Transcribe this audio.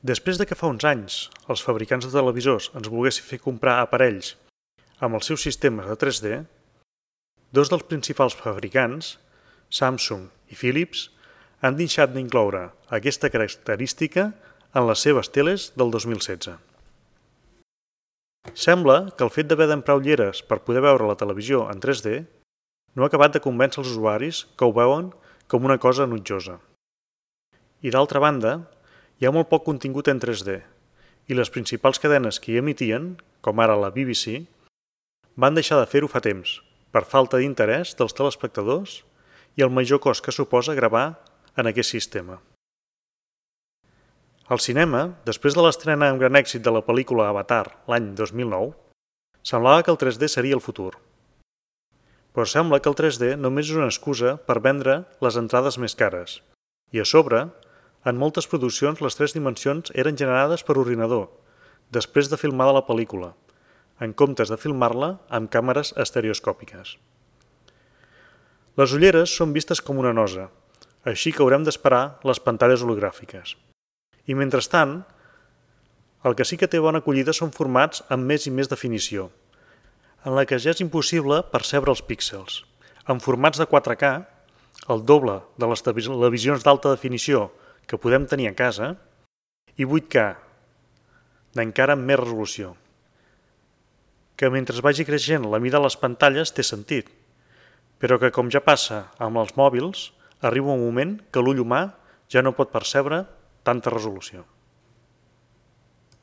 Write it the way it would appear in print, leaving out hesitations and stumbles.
Després de que fa uns anys els fabricants de televisors ens volguessin fer comprar aparells amb els seus sistemes de 3D, dos dels principals fabricants, Samsung i Philips, han deixat d'incloure aquesta característica en les seves teles del 2016. Sembla que el fet d'haver d'emprar ulleres per poder veure la televisió en 3D no ha acabat de convèncer els usuaris que ho veuen com una cosa enutjosa. I d'altra banda, hi ha molt poc contingut en 3D i les principals cadenes que hi emitien, com ara la BBC, van deixar de fer-ho fa temps, per falta d'interès dels telespectadors i el major cost que suposa gravar en aquest sistema. Al cinema, després de l'estrena amb gran èxit de la pel·lícula Avatar l'any 2009, semblava que el 3D seria el futur. Però sembla que el 3D només és una excusa per vendre les entrades més cares. I a sobre, en moltes produccions les 3 dimensions eren generades per ordinador, després de filmar la pel·lícula, en comptes de filmar-la amb càmeres estereoscòpiques. Les ulleres són vistes com una nosa, així que haurem d'esperar les pantalles hologràfiques. I mentrestant, el que sí que té bona acollida són formats amb més i més definició, en la que ja és impossible percebre els píxels. En formats de 4K, el doble de les televisions d'alta definició que podem tenir a casa, i 8K, d'encara amb més resolució. Que mentre vagi creixent la mida de les pantalles té sentit, però que com ja passa amb els mòbils, arriba un moment que l'ull humà ja no pot percebre tanta resolució.